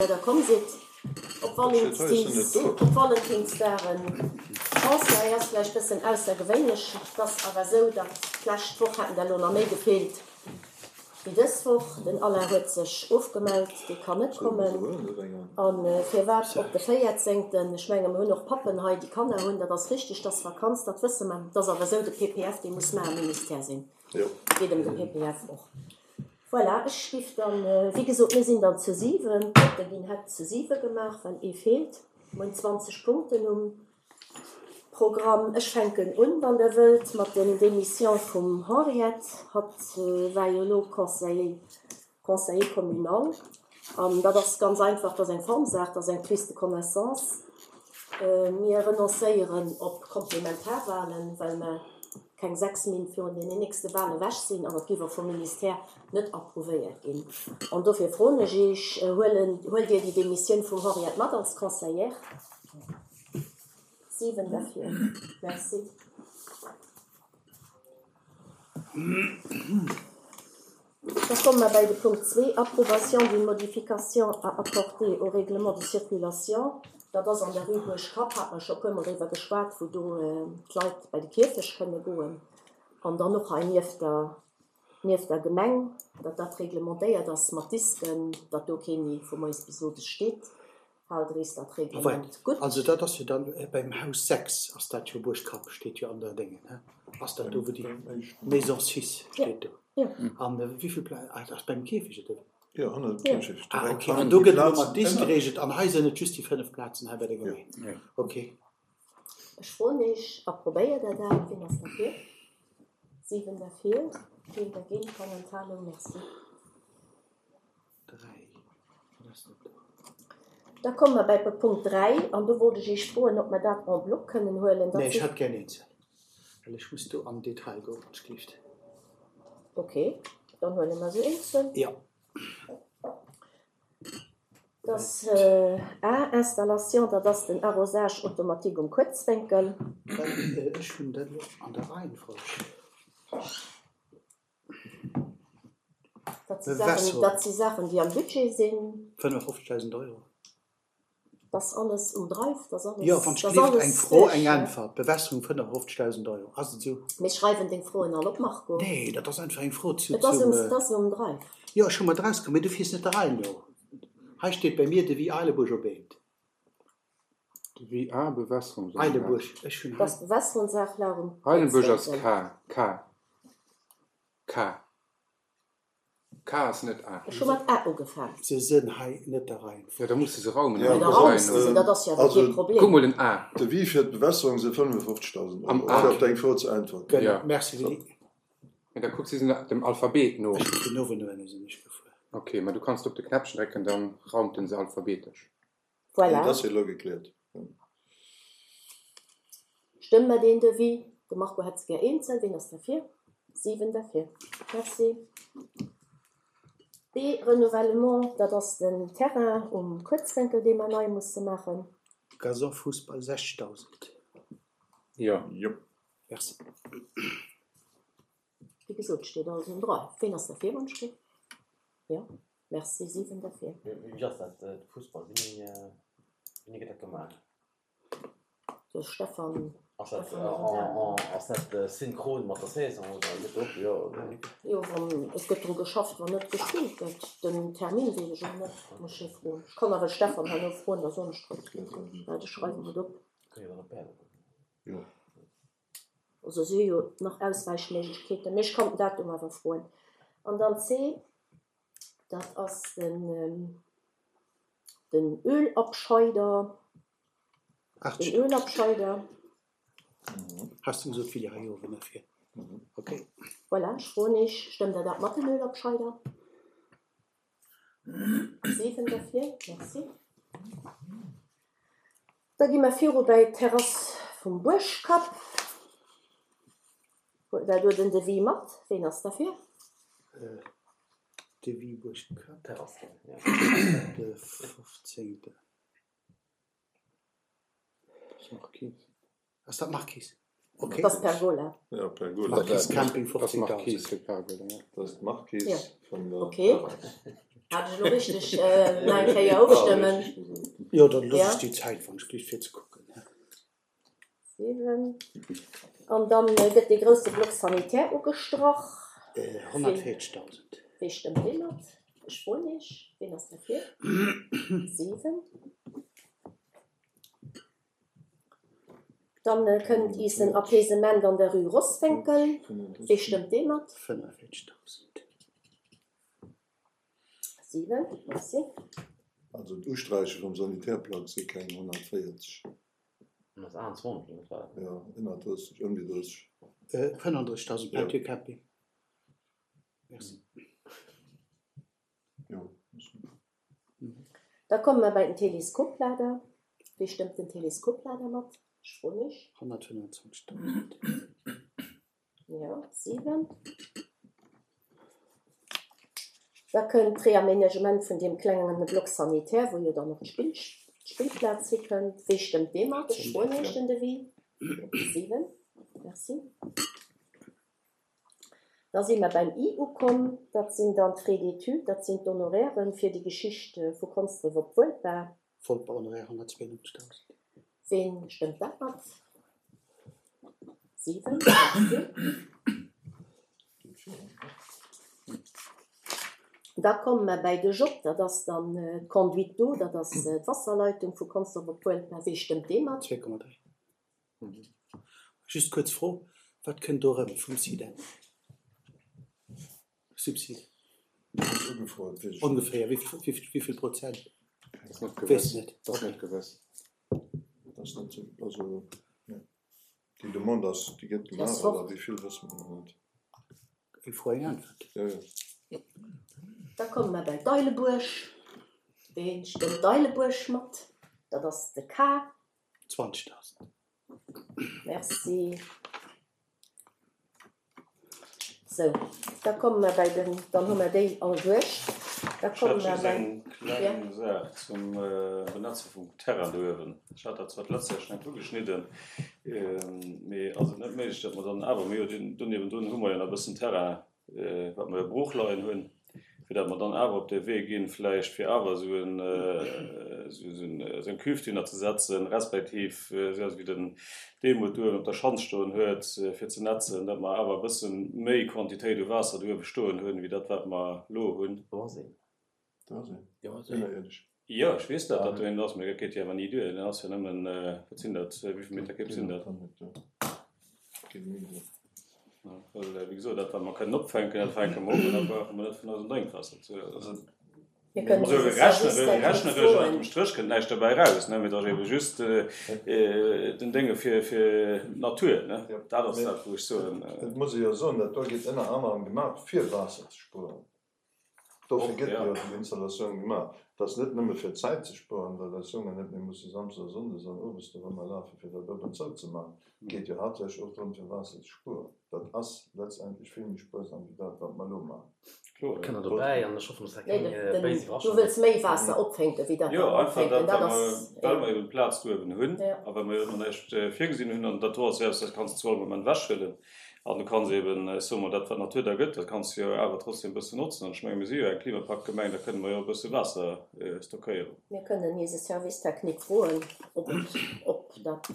Der komm sidd op Valentinsdag. Chance, hei ass vläicht bëssen aussergewéinlech. Et ass awer esou, datt d'lescht Woch haten der elo nach méi gefeelt wéi dës Woch. Den Alain huet sech ofgemellt, dee kann net kommen. A firwat op de véierzéngten? Ech menge mer hunn och Pappen hei, déi Kanner hunn. Dat ass richteg, dat ass Vakanz, dat wësse mer. Et ass awer esou, de PPF, dee muss mar am Ministère sinn. Et geet ëm de PPF och. Voilà, ech giff dann, wéi gesot, mir sinn dann zu 7, d'Votte ginn hätt zu 7 gemaach, well ee feelt. Mir hunn 20 Punkten um Programm. Ech fänken un, wann Der wëllt, mat den Démission vum Henriette. Hatt war jo elo Conseiller, Conseiller communal. An dat ass ganz einfach, dat ass eng Formsaach, dat ass eng Prise de connaissance. Mir renoncéieren op Komplementarwahlen, well mer keng 6 Min. Virun deenen nächste Wahlen ewech sinn an et géif och vum Ministère net approuvéiert ginn. An dofir froen ech Iech, Huelen, huelt Dir déi Demissioun vum Henriette mat als Conseillère? 7 derfir. Merci. Da komme mer bäi de Punkt zwee, Approbation d'une modification à apporter au règlement de circulation. Dat ass an der Rue Buergkapp, hate mer scho e puermol driwwer geschwat, wou do d'Leit bei de Kierfecht kënne goen an dann och hei nieft der, nieft der Gemeng, datt dat reglementéiert ass mat Disken, datt do kee méi vu moies bis owes steet. Haalt Rees dat Reglement gutt. Also dat ass jo dann beim Haus 6 ass dat jo, Buergkapp steet jo an der Déngen, he? Ass dat do wou déi Maison 6 steet do? An wéivill Pla, ah dat ass beim Kierfecht oder wéi? Jo, hannert dem Kierfecht. Ah ok, an do gëtt elo mat Disk gereegelt an hei sinn et just déi 5 Plazen hei bei der Gemeng. Ok. Ech froen Iech, approbéiert Der dat? Wien ass derfir? 7 derfir, keen dergéint, keng Enthalung. Merci. Da komme mer bäi Punkt 3, an do wollt ech Iech froen, ob mer dat en bloc kënnen huelen. Nee, ech hätt gär eenzel, well ech muss do am Detail goen, wann ech gleeft. Okay, dann huele mer se eenzel. Jo. Dat ass A, Installation, dat ass den Arrosage automatique um Kuerzwénkel. Well ech hunn dat elo an der Reihenfolg. Dat si Saachen, dat si Saachen, déi am Budget sinn. 55.000 Euro. Dat ass alles um Drive, dat ass alles. Jo, wann ech gleeft, eng Fro, eng Äntwert. Bewässerung 55.000 Euro. Ass et esou? Mir schreiwen deng Froen all op, Marco. Nee, dat ass einfach eng Fro zu. Et ass um, et ass um Drive. Jo, ech hu mer draus, mee du fiers net der Rei no. Hei steet bei mir Devis Eilebuerg op eent. Devis A, Bewässerungsanlag. Eilebuerg, ech hunn hei. Dat ass d'Bewässerungsanlag um Eilenbuerg ass K, K. K. K ass net A. Ech hu mat A ugefaang. Se sënn hei net der Reihenfolg. Jo, da muss de se raumen. Jo, da raums de se, dat ass jo awer kee Problem. Kuck mol den A. Devis fir d'Bewässerung si 55.000 Euro, fir op deng Fro ze äntwerten. Genau, merci Willy. Mee da kucks si se dem Alphabet no. Ech hu vun uewen no ënne sinn ech gefuer. Ok, ma du kanns op de Knäppchen drécken, dann raumt en se alphabetesch. Voilà. Dat ass jo elo gekläert. Stëmme mer deen Devis? De Marco hätt se gär eenzel. Ween ass derfir? 7 derfir. Merci. B, Renouvellement, dat ass den Terrain um Kuerzwénkel, dee mer nei musse maachen. Gazon Fussball 60.000. Jo. Jo. Merci. Wéi gesot, steet alles um Dra. Ween ass derfir, wann ech ginn? Jo. Merci, 7 derfir. Wéi ass dat, de Fussball, wéini wéini gëtt dat gemaach? De Stefan. Ass dat ass dat synchron mat der Saison oder gëtt do jo? Jo, wann et gëtt dru geschafft, wann net gespillt gëtt. Den Termin weess ech och net, muss ech hie froen. Ech kann awer de Stefan herno froen, da soen ech der et. Waart, ech schreiwen et op. Kënne jo dann op Bären goen. Jo. Also si hu jo nach Auswäichméiglechkeeten, mee ech kann den Datum awer froen. An dann C, Dat ass den den Ölabscheider. Den Ölabscheider. Has du gesot Willy hei owen derfir? Okay. Voilà, ech froen Iech, stëmmt Der dat mat dem Ölabscheider? 7 derfir, merci. Da gi mer viru bäi d'Terrass vum Buergkapp. Huet Der do den Devis mat? Ween ass derfir? Devis Buergkapp, de 15. Ass dat d'Marquise? Okay. Dat ass Pergola. Ja, Pergola. Marquise Camping 15.000. Dat ass d'Marquise vun der Okay. Terrass. Hat ech elo richteg? Nach eng Kéier ofstëmmen. Jo, dann looss ech déi Zäit, wann ech gleef, fir ze kucken. 7. An dann gëtt dee grousse Bloc sanitaire ugestrach. 140.000. Wee stëmmt dee mat? Ech froen Iech. Ween ass derfir? 7. Dann kënnt iis en Apaisement an der Rue Roswénkel. Wee stëmmt dee mat? 45.000. 7, merci. Also d'Usträiche vum Sanitärplang si keng 140. Dat ass 28, oder wat war dat? Jo, 31, ëm déi 30. 35.000 Peinture Camping. Merci. Jo. Da komme mer bei den Teleskoplader. Wee stëmmt den Teleskoplader mat? Ech froen Iech. 125.000. Jo, 7. Da kënnt d'Reaménagement vun deem klengen Bloc sanitaire, wou jo dann och d'Spillplaz hikënnt. Wee stëmmt dee mat? Ech froen Iech den Devis. 7. Merci. Da si mer beim I ukomm. Dat sinn dann d'Frais d'études, dat sinn d'Honorairen fir déi Geschicht vu Konsdref op Wuelper. Wolper Honoraire 192.000. Ween stëmmt dat mat? 7, merci. Da komme mer bäi de J, dat ass dann d'Conduite d'eau, dat ass d'Wasserleitung vu Consdorf op Wuelper. Wee stëmmt dee mat? 2,3. Just kuerz Fro, Wat kënnt do erëm vum SIDEN? Subsid? Ongeféier wéi vill Prozent? Weess net. Ass net gewëss. Ass net sou, also déi Demande ass, déi gëtt gemaach, awer wéi vill wësse mer nach net. Eng Fro, eng Äntwert. Jo, jo. Da komme mer bei d'Eilebuerg. Ween stëmmt d'Eilebuerg mat? Dat ass de K. 20.000. Merci. Sou, da komme mer bei den, dann hu mer déi all duerch. Da komme mer bei. Ech hätt just eng kleng Saach zum Benetze vum Terrain do uewen. Ech hat dat zwar d'letzt Joer schonn eng Kéier ugeschnidden, mee ass et net méiglech, datt mer dann awer, mir hu jo do niewendrun hu mer jo nach e bëssen Terrain, wat mer jo brooch leien hunn, fir datt mer dann awer op dee Wee ginn, vläicht fir awer esou en, esou eng Cuve dohinner ze setzen, respektiv esou eppes wéi den Demuth do uewen op der Schanz stoen huet, fir ze netzen, datt mer awer e bësse méi Quantitéit u Waasser do uewe stoen hunn, wéi dat wat mer elo hunn. Do ass een. Do ass een. Ënnerierdesch. Jo, ech weess dat, datt do een ass, mee dat geet jo awer ni duer. Deen ass jo nëmmen, wat sinn dat, wéi vill Meter Kéip sinn dat? Geet ni duer. Well, wéi gesot, dat wat mer kënnen opfänken, dat fänke mer op an da brauche mer net vun eisem Drénkwaasser ze. Also, Mir kënnen also eise Service rechneresch, technique rechneresch ënnert froen. dem Stréch kënnt näischt derbäi eraus, ne, mee et ass eebe just den Dénge fir, fir d'Natur, ne. Dat ass dat, wou ech soen. Et muss ee jo soen, dat do gétt ënner anerem gemaach, fir Waasser ze spueren. Dofir gëtt jo déi Installatioun gemaach. Et ass net nëmme fir Zäit ze spueren, well eis Jongen net méi musse samsdes a sonndes an owes dorëmmer lafen, fir dat op an zou ze maachen. Et geet jo haaptsächlech och drëm, fir Waasser ze spueren. Dat ass letztendlech vill méi spuersam wéi dat, wat mer elo maachen. Kloer, jo. Kënner dobäi an ech hoffen, dass dat keng béis Du Iwwerraschung wëlls gëtt. méi Waasser opfänken, wéi dat Jo, mer einfach opfänken. dat, Dat ass, well mer eben d'Plaz do eben hunn a well mer jo ëmmer näischt virgesinn hunn. An dat do ass jo eppes, dat kanns de zu all Moment ewechhuelen. An du kanns eben, ech soe mol, dat wat d'Natur der gëtt, dat kanns de jo awer trotzdem e bëssen notzen. An ech menge mir si jo eng Klimapaktgemeng, da kënne mer jo e bësse Waasser stockéieren. Mir kënnen eise Service technique froen, ob et, ob dat.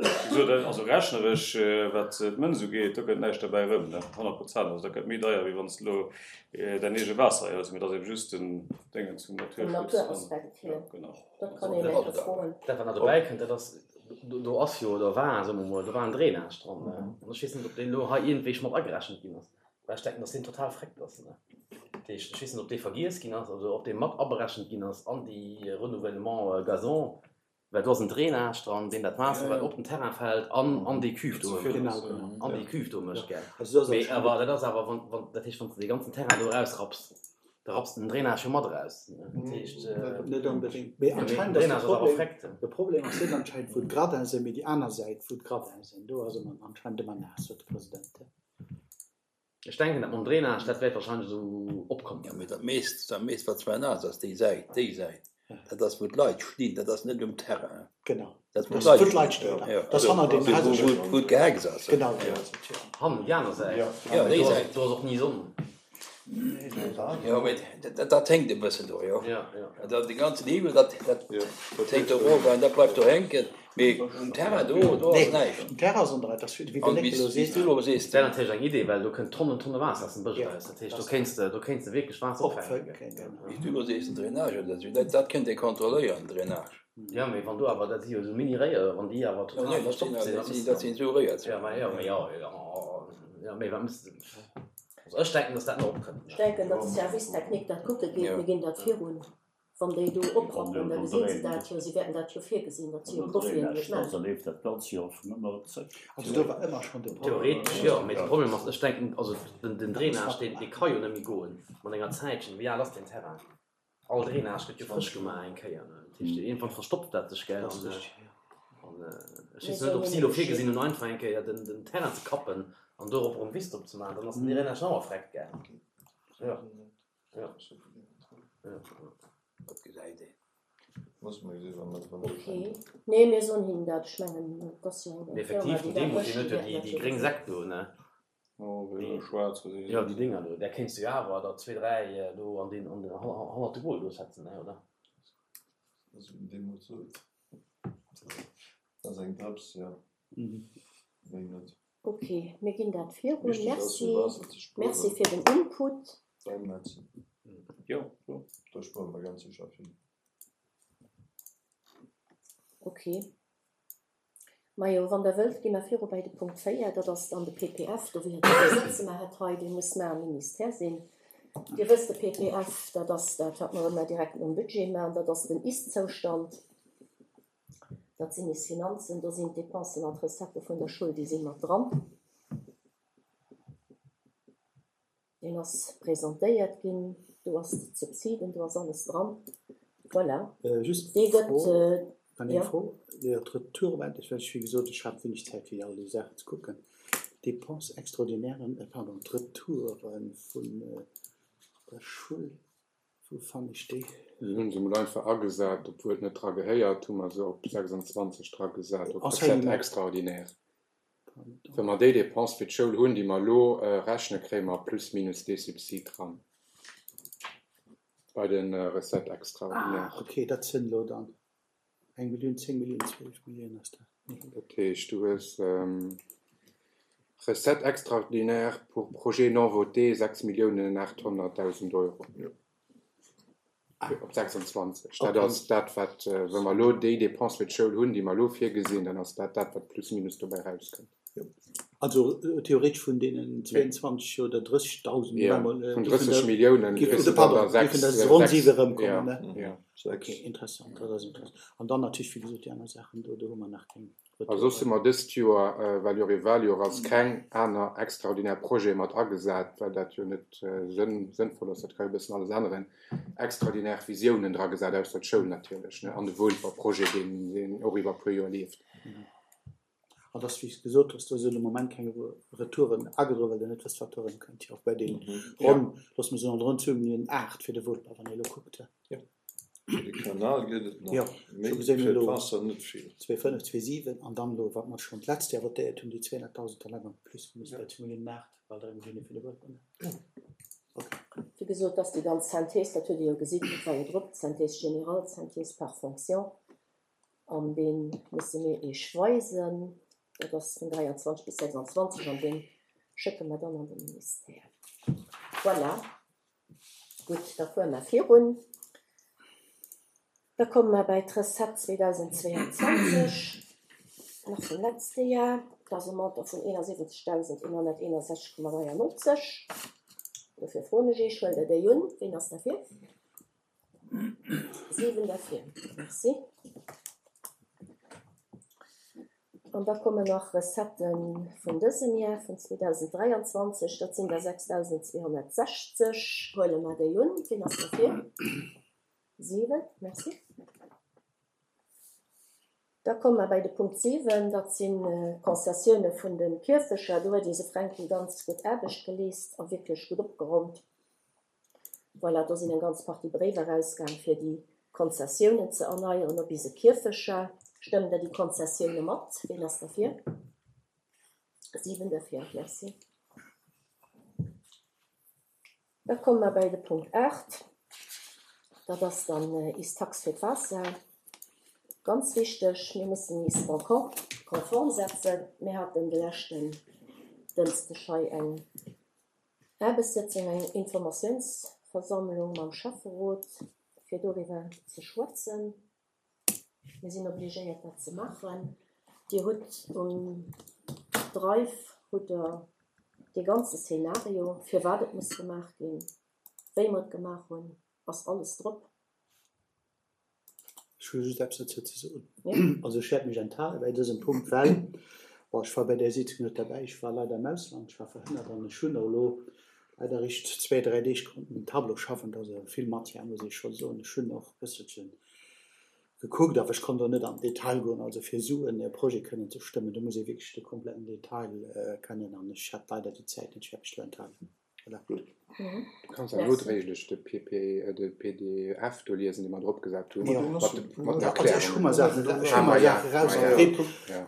Wéi gesot, also rechneresch, wat d'Mënz ugeet, do kënnt näischt derbäi erëm, ne, 100 Prozent. Also dat gëtt méi deier, wéi wann s de elo däin eege Waasser hëls. Mee dat ass eben just den Déngen zum Vum Naturschutz. Naturaspekt hier. Jo, genau. Dat kann een eng Kéier froen. Dat wat nach dobäi kënnt, dat ass, do ass jo, oder war, soe mer mol, do war en Drainage dran, ne? An ech weess net, ob deen elo hei iergendwéi mat agerechent ginn ass, well ech denken, datt deen total vreckt ass, ne? Dat heescht, ech weess net, ob dee vergiess ginn ass oder ob dee mat aberechent ginn ass an déi Renouvellement Gazon, well do ass en Drainage dran, deen dat Waasser, wat op den Terrain fält, an an déi Cuve do, an déi Cuve do mécht, gell? Mee awer dat ass awer, wann, wann, dat heescht, wann s de dee ganzen Terrain do erausrapps, Da rapps de den Drainage jo mat eraus. Dat heescht. Net onbedéngt. Mee anscheinend ass de Problem, de Problem ass net anscheinend wou d'Gradin sinn, mee déi aner Säit wou d'Gradin sinn. Do ass ëmmer anscheinend ëmmer naass, sot de President. Ech denken dat mam Drainage, dat wäert wahrscheinlech esou opkommen. Jo, mee dat meescht, dat meescht wat zwar naass ass, déi Säit, déi Säit, dat ass wou d'Leit stinn, dat ass net um Terrain. Genau. Dat wou d'Leit stinn, dat ass hanner deem Haus. Wou d'Gehecks ass. Genau, do ass et, jo. Hannen, déi aner Säit. Jo, déi Säit. Do ass och ni Sonn. Jo, mee dat hänkt e bëssen do, jo. Dat de ganzen Hiwwel, dat hänkt do erof an dat bleift do hänken. Mee um Terrain do, do ass näischt. Um Terrain ass an der, dat ass wéi de Néckel elo seet. Wéi s du elo sees. Dat wär natierlech eng Idee, well do kënnt Tonnen, Tonne Waasser aus dem Bësch eraus. Dat heescht, do kéints de, do kéints de wierklech Waasser opfänken. Wéi s du elo sees, den Drainage oder esou, dat kënnt ee kontrolléieren, den Drainage. Jo, mee wann do awer, dat si jo esou Mini-Réier, wann déi awer total verstoppt sinn, wat mëss de dann? Dat sinn esou Réier. Jo, ma jo, mee jo, jo, mee wat mëss de? Also ech denken, dass dat nach opkënnt. Ech denken, datt de Service technique dat kucke geet. Mir ginn dat virun. Wann déi do oprappen, da gesinn se dat jo. Si wäerten dat jo virgesinn. Dat si jo Profien, déi et maachen. Also do war ëmmer schonn de Problem. Theoretesch jo, mee de Problem ass, ech denken, also den Drainage, deen ka jo net méi goen mat enger Zäitchen. Wéi al ass deen Terrain? All Drainage gëtt jo frësch gemaach eng Kéier, ne? Dat heescht, iergendwann verstopft dat sech, gell? An ech weess net, ob si elo virgesinn hunn, einfach eng Kéier den, den Terrain ze kappen an dorop erëm Wiss drop ze maachen. Dann ass den Drainage nach erfreckt, gell? Jo, jo, jo. Dat gesäit een. Ok, nee, mir soen hinnen dat. Ech mengen, et ass jo eng Mee Firma, effektiv, déi den dat Demo, mécht, deen déi huet jo wäerten déi, dat déi jo gréng gesinn. Säck do, ne? Jo, déi Dinger do, där kéints du jo awer der zwee, dräi do an deen, an den, hannert de Goal do setzen, ne, oder? Ok, mir ginn dat virun. Merci, merci fir den Input. Ok. Majo, wann Der wëllt, gi mer viru bäi de Punkt 4, dat ass dann de PPF. Do wier et de Sëtze mer hätt hei, dee muss mar am Ministère sinn. Dir wësst, de PPF, dat ass dat, wat mer ëmmer direkt nom Budget maachen, dat ass den Ist-Zoustand. Dat sinn is Finanzen, do sinn d'Dépensen an d'Recettë vun der Schoul, déi si mat dran. Deen ass presentéiert ginn, do ass d'Subsiden, do ass alles dran. Voilà. Just Dee eng gëtt, Fro, eng jo. Fro, d'Retouren, ech well, wéi gesot, ech hat wéineg Zäit fir all déi Saachen ze kucken. D'Dépenses extraordinairen, pardon, d'Retoure vun der Schull, wou fannen ech déi? Déi hu se mol einfach agesat, obwuel et net dra gehéiert, hu mer se op 26 dra gesat, op Recettes extraordinaires. Wa mer déi Dépense fir d'Schoul hunn, déi mer elo rechnen, kréie mer plus minus dee Subsid dran bei de Recettes extraordinaires. Ah, okay, dat sinn elo dann eng Millioun, 10 Milliounen, 12 Milliounen ass dat. Dat heescht, du hues Recettes extraordinaires pour projets non votés 6 Milliounen 800.000 Euro. Op 26. Dat ass dat, wat, wa mer elo déi Dépense fir d'Schoul hunn, déi mer elo virgesinn, dann ass dat dat, wat plus minus dobäi erauskënnt. Also theoretesch vun deenen 22 oder 30.000, Jo, vun 30 Milliounen kriss de dann der 6, géifen der ronn 7 erëmkommen, ne? Jo. Ok, interessant, dat ass interessant. An dann natierlech, wéi gesot, déi aner Saachen do, do hu mer nach keng. A soss hu mer dëst Joer, well jo Revaljoer ass, keng aner extraordinär Projete mat agesat, well dat jo net sënnvoll ass, dat ka jo e bëssen alles änneren, extraordinär Visiounen dragesat, ausser d'Schoul natierlech, ne, an de Woolfer Projet, deen och iwwer e puer Joer leeft. An dass, wéi s de gesot hues, do sinn de Moment keng Retouren agedroen, well Der net wësst, wat do erëmkënnt, jo, och bei deenen ronn, loosse mer soen, ronn zwou Milliounen 8 fir de Woolper, wann ee elo kuckt. Jo. Fir de Kanal gëtt et nach, Jo, mee scho gesinn fir elo d'Waasser net vill. 2,5, 2,7 an dann elo, wat mer schonn d'letzt Joer votéiert hunn, déi 200.000, da leie mer plus minus bei 2 Milliounen 8, bal 3 Millioune fir de Buedem. Ok. Wéi gesot, dass déi ganz Synthèse, dat hutt Dir jo gesinn, dat war jo drop, d'Synthèse générale, d'Synthèse par fonction, an dee musse mir Iech weisen, dat ass vun 23 bis 26, an dee schécke mer dann an de Ministère. Voilà. Gutt, da fuere mer virun. Da komme mer bäi d'Recette 2022, nach vum letzte Jar. Dat ass e Montant vun 71.161,93. Dofir froen ech Iech, Huelt Der déi un? Ween ass derfir? 7 derfir. Merci. An da kommen nach Recettë vun dësem Jar, vun 2023, dat sinn der 6.260. Huele mer déi un. Wien ass derfir? 7. Merci. Da komme mer bäi de Punkt 7, dat sinn d'Concessioune vun de Kierfecher. Do huet eise Fränki ganz gutt Aarbecht geleest a wierklech gutt opgerommt. Voilà, do sinn eng ganz Partie Bréiwer erausgaang, fir déi Konzessiounen ze erneieren op ise Kierfecher. Stëmmt Der déi Konzessioune mat? Ween ass derfir? 7 derfir. Merci. Da komme mer bei de Punkt 8, dat ass dann is Tax fir d'Waasser. Ganz wichteg, mir mussen is en conforme setzen. Mir haten de leschten Dënschdeg hei eng Aarbechtssëtzung, eng Informatiounsversammlung mam Schäfferot, fir doriwwer ze schwätzen. Mir sinn obligéiert dat ze maachen. Dir hutt um Drive hutt Der dee ganze Szenario, firwat et muss gemaach ginn, wéi mer et gemaach hunn, ass alles drop. Ech hu just eppes dozou ze soen. Also ech wäert mech enthale bäi dësem Punkt, well, bon, ech war bäi där Sitzung net derbäi, ech war leider am Ausland, ech war verhënnert an ech hunn och elo leider eréischt zwéi, dräi Deeg konnten um Tableau schaffen. Dat ass vill Matière, muss ech scho soen. Ech hunn och e bësselchen gekuckt, awer ech konnt och net an den Detail goen. Also fir esou e Projet kënnen ze stëmmen, do muss ee wierklech de kompletten Detail kënnen an ech hat leider déi Zäit net. Ech wäert mech do enthalen. Voilà. Gutt. Du kanns awer nodréiglech de PP, de pdf do liesen, dee mer drop gesat hunn, mat de, mat den Also ech hu mer Saachen, ech hu mer Saache rausgekritt,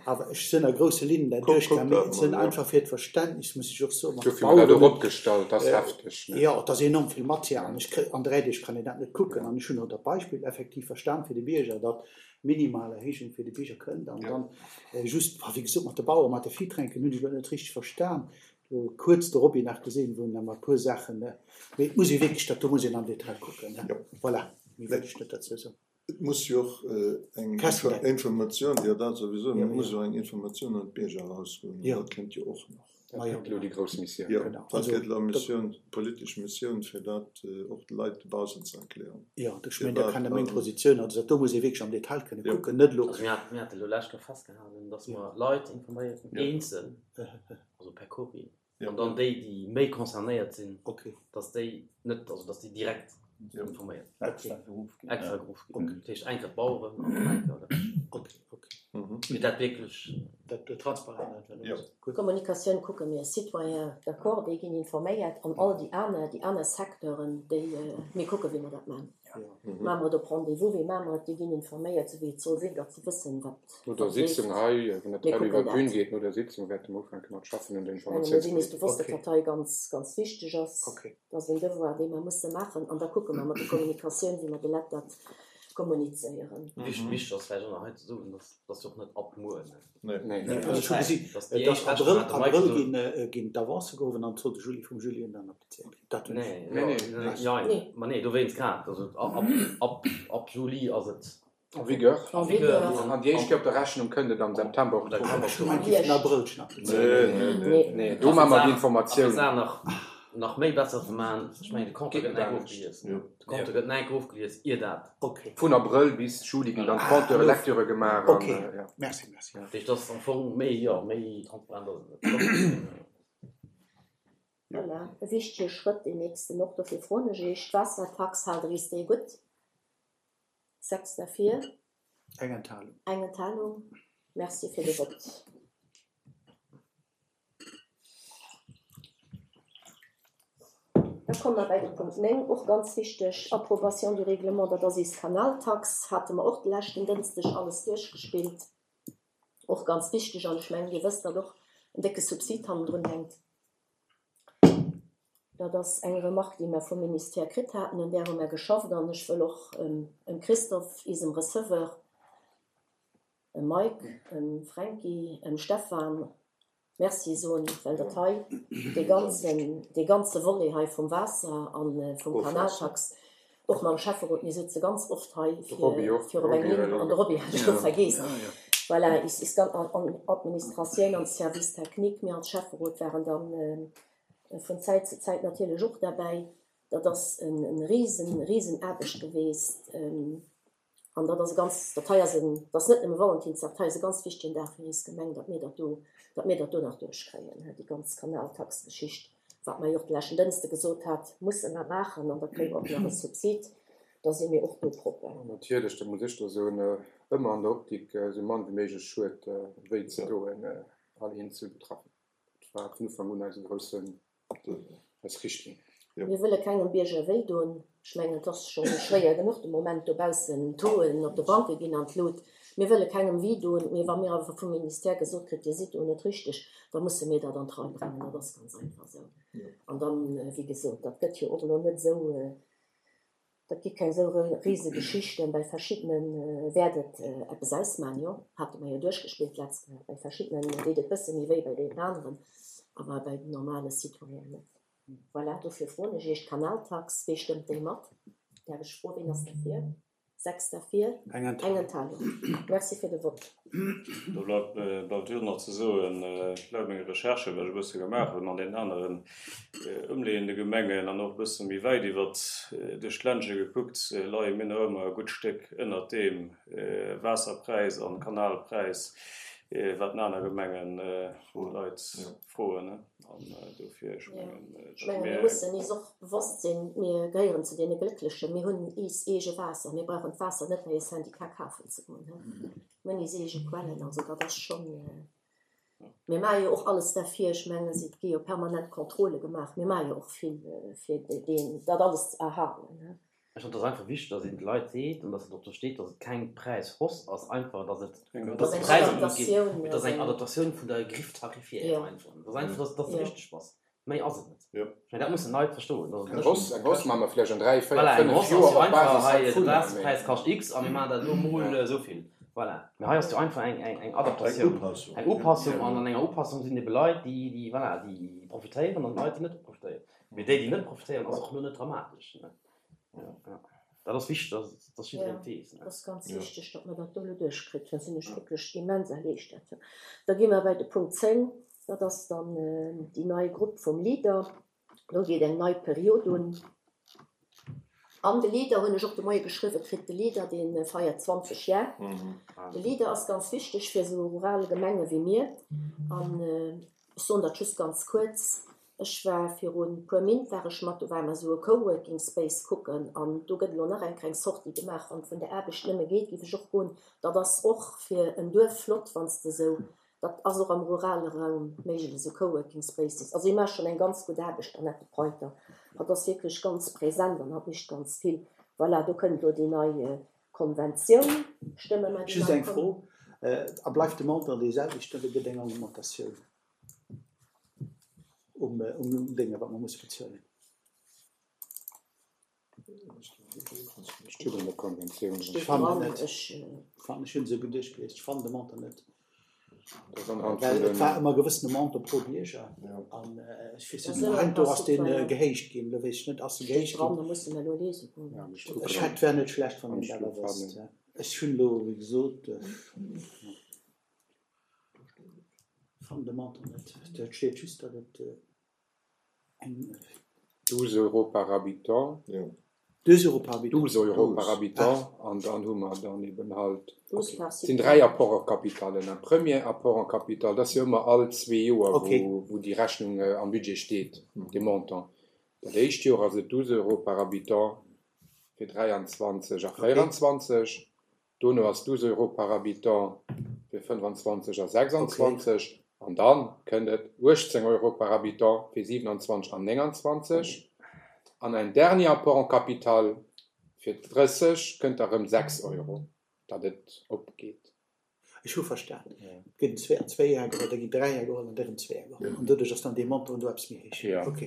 awer ech sinn a grousse Linnen dat duerchgaangen, mee et sinn einfach fir d'Verständnis, muss ech och soen, mat de Dofir hu mer dat och opgestallt, dat ass hefteg, ne? Jo, et ass enorm vill Matière an ech kri, an 3 Deeg kann een dat net kucken an ech hunn och dat Beispill effektiv verstan fir de Bierger, datt minimal Erhéijung fir de Bierger kënnt an dann just, wéi gesot, mat de Bauere mat de Viehtränken hunn ech elo net richteg verstan, Do kuerz de Roby nach gesinn, wou en emmer e puer Saachen, mee et muss ee wierklech, dat do muss een am Detail kucken, ne? Voilà, méi wëll ech net derzou soen. Et muss jo och eng Informatioun, jo dat souwisou, mee et muss jo eng Informatioun un d'Bierger erausgoen, an dat kënnt jo och nach. Dat gëtt elo déi grouss Missioun. Jo, dat gëtt elo Missioun, politesch Missioun, fir dat och de Leit dobaussen ze erklären. Jo, ech mengen, da kann e meng Positioun, also dat do muss ee wierklech am Detail kënne kucken, net elo. Also mir hate elo lescht Woch festgehalen, datt mer Leit informéieren, eenzel. also per Courrier, an dann déi, déi méi concernéiert sinn, dass déi net, also dass déi direkt informéiert ginn. Extra geruff ginn. Extra geruff ginn. Dat heescht eng Kéier d'Baueren an dann eng Kéier de Rescht. Fir dat wierklech. Dat transparent einfach ass. D'Kommunikatioun kucke mir, Citoyens, d'accord, déi ginn informéiert an all déi aner, déi aner Secteuren, déi, mir kucke wéi mer dat maachen. Maache mer et op Rendez-vous, wéi maache mer et? Déi ginn informéiert, esou wéi et soll sinn, datt se wëssen, wat No der Sitzung hei, wann dat hei iwwer d'Bün geet, no der Sitzung wäerte mer ufänke mat schaffen un der Ech menge mir sinn eis bewosst, datt dat hei ganz, ganz wichteg ass. Dat ass en Devoir, dee mer musse maachen. An da kucke mer mat der Kommunikatioun, wéi mer de Leit dat kommunizéieren. Wichteg ass vläicht och nach hei ze soen, datt dat jo och net ab muer, ne? Nee. Also ech hu gesi, datt Abrëll, Abrëll ginn d'Avancë gehowen an d'Solde Juli vum Juli un dann applizéiert ginn. Dat hunn ech. Nee, nee, ma nee, dowéinst grad. Also ab, ab Juli ass et. En vigueur. En vigueur. An déi éischt Kéier op der Rechnung kënnt et am September, Oktober. Ech hu gemengt, déi vun Abrëll schonn applizéiert ginn. Nee, nee, do maache mer déi Informatioun. A fir d'Saach nach, nach méi besser ze maachen, ech mengen, de Compteur gëtt nach ofgelies. De Compteur gëtt nach ofgelies, ier dat. Vun Abrëll bis Juli ginn dann d'Compteure, Lecture gemaach. Ok, merci, merci. Dat heescht, dat ass am Fong méi, jo, méi transparent ass et net. Voilà, e wichtege Schrëtt, deen nächsten och. Dofir froen ech Iech, D'Waassertax, haalt Der is déi gutt? 6 derfir. Eng Enthalung. Eng Enthalung. Merci fir de Vott. Da komme mer bei de Punkt 9, och ganz wichteg, Approbation du règlement, dat ass eis Kanaltax, hate mer och de leschten Dënschdeg alles duerchgespillt. Och ganz wichteg, an ech mengen, Dir wësst, datt och en décke Subsid hannendrun hänkt. Dat ass eng Remarque, déi mer vum Ministère kritt haten, un där hu mer geschafft. An ech wëll och em Christophe, isem Receveur, em Mike, em Fränki, em Stefan Merci soen, well dat hei, dee ganzen, dee ganze Volet hei vum Waasser a vum Kanaltax, och mam Schäfferot, mir sëtze ganz oft hei fir fir op eng Linn, an de Roby hat ech elo vergeess, voilà, is is ganz an Administratioun an Service technique, mir als Schäfferot waren dann vun Zäit zu Zäit natierlech och derbäi. Dat ass en risen, risen Aarbecht geweest. An dat ass e ganz, dat hei ass en, dat ass net nëmme Valentinsdag, dat hei ass e ganz wichtegen Dag fir eis Gemeng, datt mir dat do, datt mir dat do nach duerchkréien, déi ganz Kanaltax-Geschicht, wat mer jo och de leschten Dënschde gesot hat, musse mer maachen an da kréie mer och nach e Subsid, da si mir och do propper. An natierlech, dat muss ech da soen, ëmmer an der Optik, esou mann wéi méiglech Schued wéi ze doen, all eenzel Betraffenen. Dat war vun Ufank un eise groussen Eis Richtlinn. Mir wëlle kengem Bierger wéi doen. Ech mengen, et ass scho schwéier genuch de Moment dobaussen. D'Tauxen op de Banke ginn an d'Lut. Mir wëlle kengem wéi doen, mee wa mir awer vum Ministère gesot kritt, Dir sidd do net richteg, da musse mir dat an d'Rei bréngen. Dat ass ganz einfach esou. An dann, wéi gesot, dat gëtt jo och elo net esou, dat gi keng esou Risegeschichten. Bei verschiddene wäert et eppes ausmachen, jo, hate mer jo duerchgespillt d'letzt Kéier. Bei verschiddenen deet et bësse méi wéi bei deenen aneren, awer bei den normale Citoyenen net. Voilà, dofir froen ech Iech, d'Kanaltax, wee stëmmt déi mat? Däerf ech froen, ween ass derfir? 6 derfir, eng Enthalung. Merci fir de Vott. Do bleift just nach ze soen, laut menge Recherchen, wat ech e bësse gemaach hunn an deenen aneren ëmleeënde Gemengen an och e bësse méi wäit iwwert duerch d'Ländche gekuckt, leie mir nach ëmmer e gutt Stéck ënnert deem Waasserpräis an Kanalpräis, wat en aner Gemengen vun de Leit froen. An dofir, ech mengen, Ech menge mir mussen is och bewosst sinn, mir gehéieren zu deene Glécklechen, mir hunn iis eege Waasser, mir brauchen d'Waasser net bei e Syndicat kafen ze goen. Mir hunn iis eege Quellen, also dat ass schonn, mir maache jo och alles derfir, ech menge et gi jo permanent Contrôle gemaach, mir maache jo och vill fir deen, dat alles ze erhalen. Ech fannen, et ass einfach wichteg, dass een de Leit seet an dass et och do steet, dass et keng Präishausse ass, einfach dass et, dass de Präis eropgeet, mee et ass eng Adaptatioun vun der Griffe tarifaire einfach. Et ass einfach, dass dass de richteg bass. Méi ass et net. Ech mengen, dat mussen d'Leit verstoen, dass et net. Eng Hausse, eng Hausse maache mer vläicht an 3, 4, Voilà, eng 5 Hausse ass Joer jo op einfach, Basis hei, de heivunner, mee. Waasserpräis kascht X a mir maachen dat elo mol esou vill. Voilà. Mee hei ass jo einfach eng, eng, eng Adaptatioun. Eng Upassung. Eng Upassung an an enger Upassung sinn ebe Leit, déi, déi, voilà, déi profitéieren an Leit, déi net profitéieren. Mee déi, déi net profitéieren, ass och elo net dramatesch. Dat ass wichteg, dass, dass jiddereen et weess. Dat ass ganz wichteg, datt mer dat do elo duerchkritt hunn. Sinn ech wierklech immens erliichtert. Da gi mer bei de Punkt 10, dat ass dann déi nei Grupp vum Leader. Do geet eng nei Period un. An de Leader hunn ech och de Moie geschriwwe kritt, de Leader, dee feiert 20 Jar. De Leader ass ganz wichteg fir esou rural Gemenge wéi mir. An ech soen dat just ganz kuerz, Ech war virun puer Mint war ech mat, do ware mer esou e Coworking Space kucken an do gëtt elo nach eng kleng Sortie gemaach. Wann et vun der Aarbecht nëmme geet, géif ech och goen. Dat ass och fir en Duerf flott, wann s de esou, dat ass och am rurale Raum méiglech, esou Coworking Spaces. Also hie maacht schonn eng ganz gutt Aarbecht, d'Annette Preuter. Hatt ass wierklech ganz present an hatt mécht ganz vill. Voilà, do kënnt elo déi nei Konventioun. Stëmme mer déi Just nei eng Fro, A bleift de Montant dee selwechten oder gëtt eng Augmentatioun? Um, um Dénge wat mer musse bezuelen. Steet an der Konventioun. Ech fannen et net. Ech hunn se geduecht gelies. Ech fannen de Montant net. Well et war ëmmer e gewëssene Montant pro Bierger. An ech weess net, heiansdo ass dee gehéicht ginn. Elo weess ech net, ass e gehéicht ginn? Ech hätt, wär net schlecht, wann een dat awer wësst. Ech hunn elo, wéi gesot. Fannen de Montant net. Et steet just, datt et eng. 12 Euro par habitant. 12 Euro par habitant. 12 Euro par habitant. An dann hu mer dann eben halt, et sinn 3 Apports en capital. En premier Apport en capital, dat ass jo ëmmer all zwee Joer, wou déi Rechnung am Budget steet, dee Montant. Dat éischt Joer ass et 12 Euro par habitant fir 23 a 24. Dono ass 12 Euro par habitant fir 25 a 26 an dann kënnt et 18 Euro par habitant fir 27 an 29 an en dernier apport en capital fir 30 kënnt da rëm 6 Euro, datt et opgeet. Ech hu verstan, et gëtt en zwee an zwee Jar geholl, da ginn dräi Jar geholl an da rëm zwee Jar geholl an doduerch ass dann dee Montant do eppes méi héich. Ok.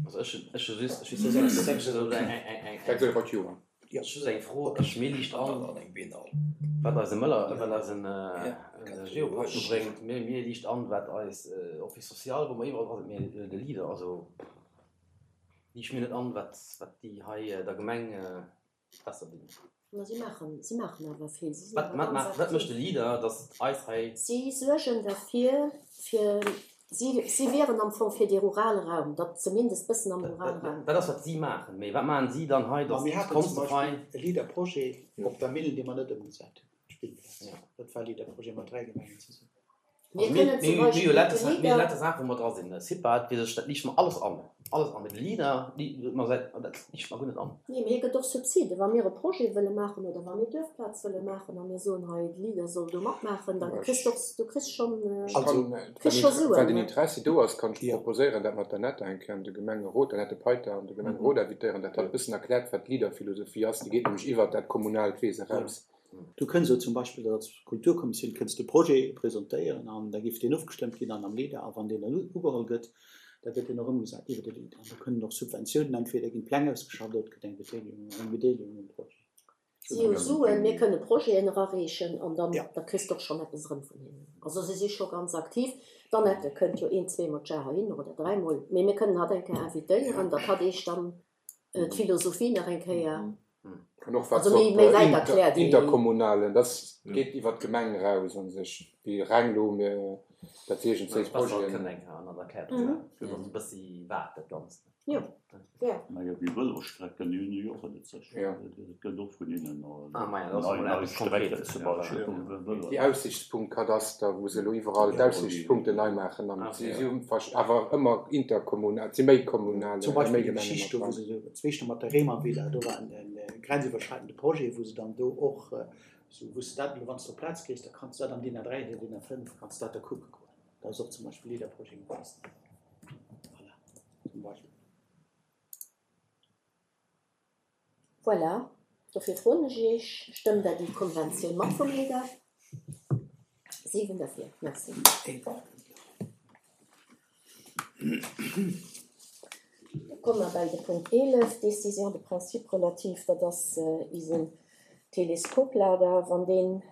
Also ech hunn ech hu just ech hu just eng eng 6 Euro d'Joer. Jo. Just eng Fro, ech mir liicht an, wat eise Mëller, wat eisen Geopark do bréngt, mir mir liicht an, wat eis Office social, wou mer iwwerall dra sinn, mee de Leader, also liicht mir net an, wat wat déi hei der Gemeng besser dinn. Ma si maachen, si maachen awer vill, si sinn Wat awer ganz wat mécht aktiv. de Leader, datt eis hei. Si suergen derfir, fir Si, si wieren am Fong fir dee rurale Raum, datt zumindest bëssen am rurale Raum. Dat ass, wat si maachen. Mee wat maachen si dann hei, Ma datt mir haten zum d'Konst hei. Beispill e Leader-Projet op der Millen, dee mer net ëmgesat hunn, d'Spillplaz. Dat war e Leader-Projet mat 3 Gemengen zesummen. Mir kënnen zum Mir hu Beispill jo de lauter Saachen, mir hu Leader. lauter Saachen, wou mer dra sinn. CIPA, dat weess ech, dat liicht mer alles an. Alles an. Mee de Leader, mer säit, dat liicht mer guer net an. Nee, mee hie gëtt och Subside. Wa mir e Projet wëlle maachen oder wa mir Duerfplaz wëlle maachen a mir soen, hei de Leader soll do matmaachen, da kriss de och, du kriss schonn, kriss scho Suen. Well den Interessi do ass, kann ech proposéieren, dat mer d'Annette eng Kéier an de Gemengerot, d'Annette Peiter an de Gemengerot invitéieren, dat hatt e bëssen erkläert, wat d'Leader-Philosophie ass. Déi geet nämlech iwwert dat kommunaalt Wiese raus. Du kënns elo zum Beispill als Kulturkommissioun kënns de Projet presentéieren an da géif deen ofgestëmmt ginn an am Leader a wann deen dann ugeholl gëtt, da gëtt deen och ëmgesat iwwer de Leader. An da kënnen och Subventiounen, entweder ginn d'Pläng ausgeschafft oder et gëtt eng Bedeelegung, eng Bedeelegung um Projet. Si hu Suen, mir kënne Projeten erareechen an dann da kriss de och schonn eppes erëm vun hinnen. Also si si scho ganz aktiv. D'Annette kënnt jo een, zweemol d'Jar heihinner oder dräimol, mee mir kënnen hatt eng Kéier invitéieren, datt hatt eech dann d'Philosophie nach eng Kéier An och wat méi méi wäit erkläert. Interkommunalen, dat geet iwwer d'Gemeng eraus a sech, wéi reng elo mir dat iergendwéi Projeten. Bëssi wat dat Ganzt. Jo, gär. Majo, déi Vëlosstrecken, déi hunn jo och net sech. Et gëtt och vun hinnen nei, nei Strecken zum Beispill vum Vëlo. Déi Aussichtspunktkadaster, wou se elo iwwerall d'Aussichtspunkten nei maachen, an si hu awer ëmmer interkommunal, et si méi kommunal, Zum Beispill déi Geschicht do, wou se zwee mat der Réimervilla, do war e grenziwwerschreitende Projet, wou se dann do och, sou wou s de dat elo, wann s de op d'Plaz gees, da kanns de dat am DIN A3 oder DIN A5 kanns de dat da kucke goen. Da ass och zum Beispill Leader-Projet mat. Voilà. Zum Beispill. Voilà, dofir froen ech Iech, Stëmmt Der déi Konventioun mat vum Leader? 7 derfir. Merci. Da komme mer bei de Punkt 11, Décision de principe relative, dat ass isen Teleskoplader. Wann deen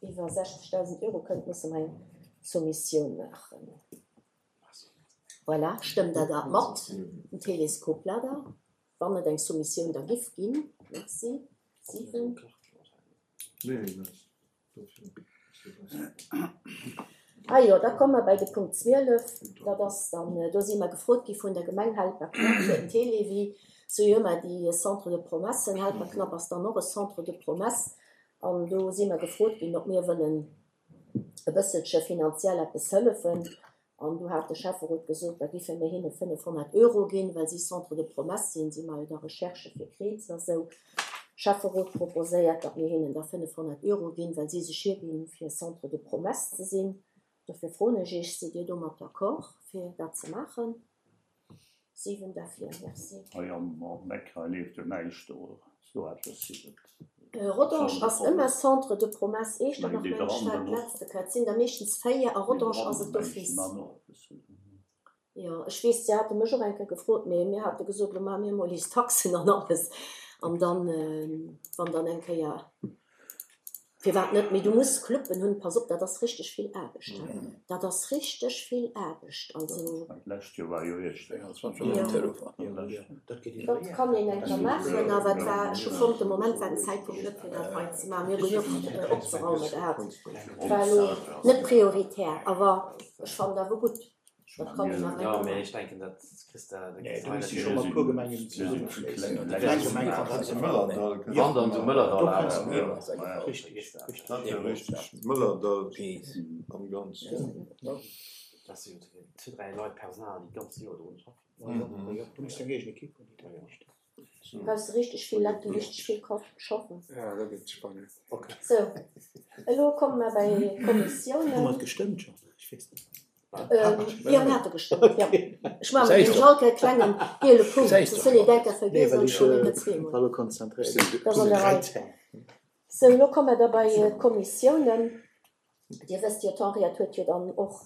iwwer 60.000 Euro kënnt, musse mer eng Soumissioun maachen. Voilà, stëmmt Der dat mat, den Teleskoplader, wann et eng Soumissioun da giff ginn? Merci. 7. Ah jo, da komme mer bei de Punkt 12. Dat ass dann, do si mer gefrot gi vun der Gemeng Helperknapp fir den Télévie. Sou jo ëmmer déi Centre de promesses. Helperknapp ass dann och e Centre de promesses. An do si mer gefrot ginn, ob mir wëllen e bësselche finanziell eppes hëllefen. An du hat de Schäfferot gesot, da giffe mir hinne 500 Euro ginn, well si Centre de promesses sinn, si maache jo da Recherchë fir Kriibs a sou. Schäfferot proposéiert, datt mir hinnen da 500 Euro ginn, well si sech hierginn, fir Centre de promesses ze sinn. Dofir froen ech Iech, Sidd Dir domat d'accord, fir dat ze maachen? 7 derfir. Merci. Hei am Meck hei leeft jo näischt oder sou eppes. Rodange ass ëmmer Centre de promesses. Eechternach mengen ech war d'letzte Kéier. Et sinn der meeschtens 4 a Rodange ass et d'office. Jo, ech weess, si hate mech och eng Kéier gefrot, mee mir hate gesot, elo maache mir emol eis Taxen an alles an dann, wann dann eng Kéier Firwat net? Mee du muss Cluben hunn. Pass op, dat ass richteg vill Aarbecht. Dat ass richteg vill Aarbecht. Also. D'lescht Joer war jo Iechternach. Dat kann een eng Kéier maachen, awer et war, ech hu fonnt, de Moment war den Zäitpunkt net fir dat hei ze maachen. Mir hu genuch opzeraume gehat. Et war elo net prioritär, awer ech fannen et awer gutt. Dat kann een awer Jo, eng mee Kéier ech denken, dat kriss de, dat Nee, kriss do de hei misst net scho mat hin. puer Gemengen zesummeschléissen. Déi kleng Gemeng kann dat net maachen. Wann dann zu Do Mëllerdall kënns awer. de jo, richtig, richtig. Dat wär richtig, Mëllerdall am Ganzen. Dat si jo zwee, dräi Leit Personal, déi d'ganz Joer drun schaffen. Jo, du misst eng eegen Ekipp hunn, déi dat mécht. Brauchs de richteg vill Leit, déi richteg vill schaffen. Ja, dat gëtt spannend. Sou, elo komme mer bei Hu mer d'Kommissiounen. et gestëmmt schonn? Ech weess net. Jo, mir hate gestëmmt, jo. Ech maache mat dem Jalk e klengen giele Punkt, soss hunn ee däcker Nee, vergiess well an ech ech hunn et zweemol. war elo konzentréiert. Dat ass an der Rei. Sou, elo komme mer da bei d'Kommissiounen. Dir wësst jo, d'Henriette huet jo dann och,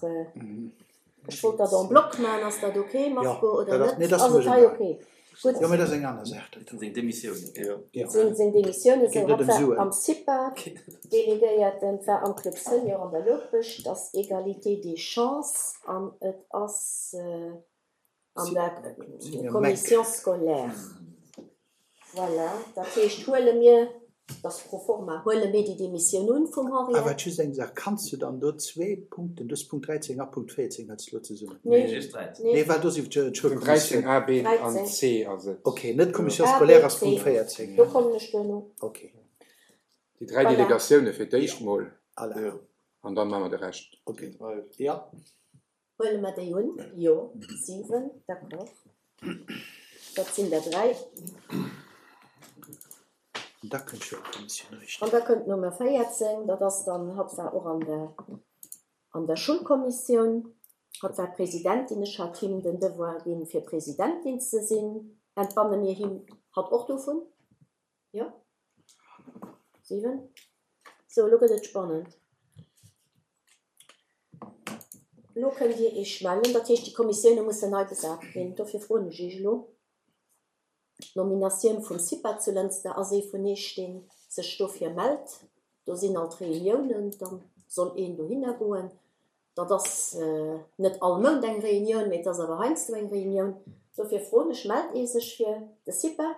ech wollt dat en bloc maachen, ass dat ok, Marco, oder net? Ass et hei ok? Gutt. Jo, mee dat ass eng aner Saach. Dat sinn seng Demissiounen. Dat sinn seng Demissiounen. Geet Sou, net hatt ëm war Suen. am CIPA Delegéierten, war am Club Senior an der Loupescht, ass Égalité des chances an et ass an der Commission scolaire. Voilà, dat heescht, huele mir, dat ass pro forma, huele mir déi Demissioun un vum Awer Henriette? just eng Saach, Kanns du dann do zwee Punkten, dës Punkt 13 a Punkt 14 hëls du elo zesummen? Nee. Just 13. Nee, well do si d'Schoulkommissioun. 13 a, b an 13. c ass et. Ok, net d'Commission A, B, scolaire ass C. Punkt 14, Do ja? kommen ech duerno. Ok. Déi dräi Voilà. Delegatioune fir d'éischt mol Voilà. an dann maache mer de Rescht. Ok, ja. Huele mer déi un? Jo, 7, d'accord. Dat sinn der 3. An da kënnt d'Schoulkommissioun, richteg. An da kënnt d'Nummer 14, dat ass dann, hatt war och an der, an der Schulkommissioun, hatt war Presidentin, ech hat him den Devoir ginn, fir Presidentin ze sinn. Entbanne mir him hatt och dovun? Jo? 7. Sou, elo gëtt et spannend. Elo kënnt Dir Iech mellen. Dat heescht, déi Kommissioune mussen nei besat ginn. Dofir froen ech Iech elo. D'Nominatioun vum CIPA zu Lënster ass ee vun Iech, dee sech dofir mellt. Do sinn alt Reuniounen, da soll een dohinner goen. Dat ass net all Mount eng Reunioun, mee et ass awer heiansdo eng Reunioun. Dofir froen ech, Mellt ee sech fir de CIPA?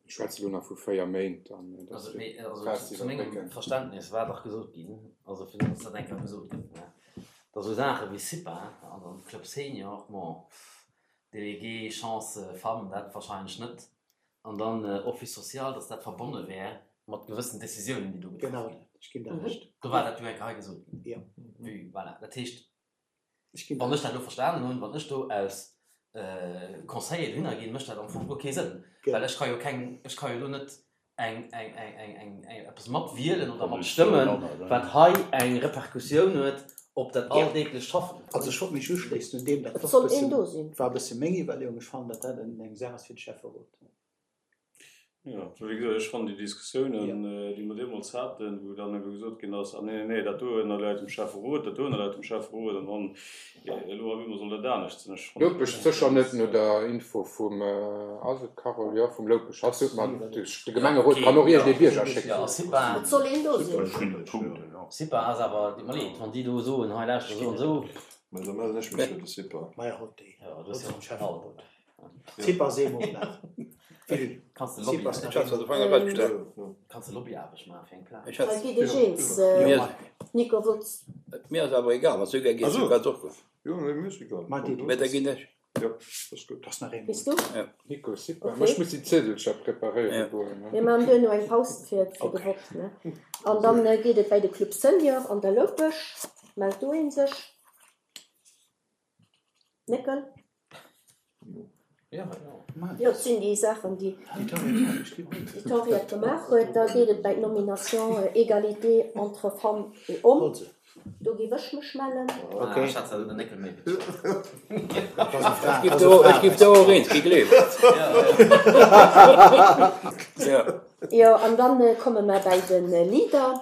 Ech schwätze elo nach vu 4 Méint an dat ass fir d'Phas ze Zu mengem iwwerbrécken. Verständnis war dach gesot ginn, also fir datt dat eng Kéier gesot gëtt, ne, datt esou Saache wéi CIPA an dann Club Senior, bon, Délégué Chance Femmes, dat wahrscheinlech net, an dann Office social, datt dat verbonne wär mat gewëssen Décisiounen, déi do getraff Genau ginn. dat, ech ginn der Recht. Do war dat jo eng Kéier hei gesot ginn. Jo. Vue, voilà. Dat heescht, Ech ginn Wann der ech dat elo verstanen hunn, wann ech do als Conseiller dohinner ginn, mécht dat am Fong guer kee Sënn, well ech ka jo keng, ech ka jo do net eng, eng, eng, eng, eng, eng, eppes matwielen oder matstëmmen, wat hei eng Repercussioun huet op dat alldeeglecht Schaffen. Also ech wollt mech uschléissen un deem, dat Et soll een do sinn. war e bësse meng Iwwerleeung. Ech fannen, datt dat eng Saach ass fir de Schäfferot. Jo, wéi gesot, ech fannen déi Diskussiounen, déi mer deemools haten, wou dann ebe gesot ginn ass, ah nee, nee, nee, dat do ënnerläit dem Schäfferot, dat do ënnerläit dem Schäfferot, an dann elo op eemol soll dat anescht sinn. Ech fannen Loupech sécher net, no der Info vum, ass et Carole, jo, vum Loupech, hatt sot mer, de Gemengerot kann och iergendee Bierger schécken. Et soll een do sinn. CIPA ass awer, deet mer leed, wann déi do soen, hei lauschter, esou an esou. Mä da mellen ech mech fir de CIPA. Maja, haut déi. Jo, du hues jo Schäfferot. Zip ass eemol nach. Willy, Kanns de Zip Lobby ass nach Ech hat eemol. zwar de Fanger erausgestach. Kanns de Lobbyaarbecht maachen fir eng Plaz. Ech hat Hei geet ech eens, Nico Wutz. Mir ass awer egal, wann s du gär gees, du kanns och goen. Jo, nee, mir ass egal. Mat dir, du Mä da ginn ech. Jo, ass gutt. Ass nach eemol. Bis du? Jo. Nico, super. Okay. Ma ech muss déi Ziedelcher preparéiere goen, ne? Mir maachen duerno eng Paus fir fir de Vott, ne? An dann geet et bäi de Club Senior an der Loupech. Mellt do een sech? Néckel? Jo, et sinn déi Saachen, déi d'Henriette gemaach huet. Da geet et bäi d'Nomination Égalité entre femmes et hommes. Do géif ech mech mellen. Ech giff do och eens gi, gleef. Jo, an dann komme mer bäi de Leader.